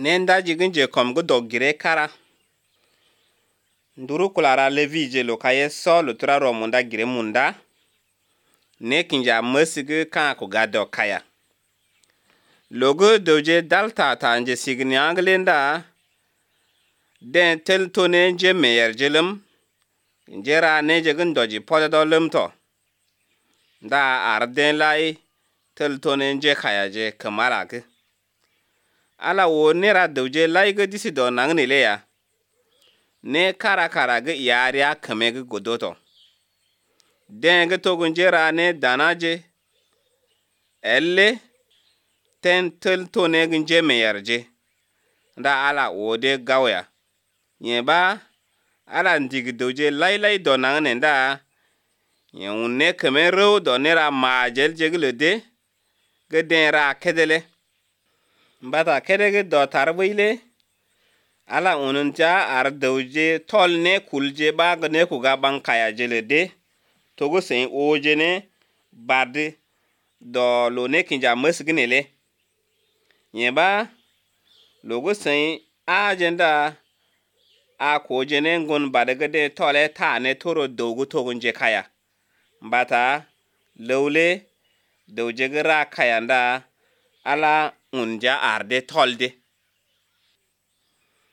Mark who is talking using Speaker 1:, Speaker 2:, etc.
Speaker 1: nenda jigin je kom go dogire kara nduru kulara levi je lokaye so lutura ro munda gire munda ne kinja masige kan ko gado kaya logo doje dalta ta nje signi anglenda den tel tone je meyer jelum njera ne je gin doji podo lumto da arden lai tel tone nje kaya je kamara ke ala wo nera doje lai ga disi do nangne le ya ne kara ga yariya kame ga godoto den ga to gunjera ne danaje elle ten tel tone gunje meyarje da ala wode gawya yeba ala ndig doje lai do nangne da yunne kame ro do nera majel jeglede ga den ra kedele mbata kedege do tarbile ala ununja ar doje tol ne kulje ba ne ku ga ban kaya jelede togo sen oje ne bad do lo ne kinja masgnele yeba logo sen agenda a ko je ne ngon badaga de tole ta ne toro dogo togunje kaya mbata lawle doje gra kaya nda ala unja arde tolde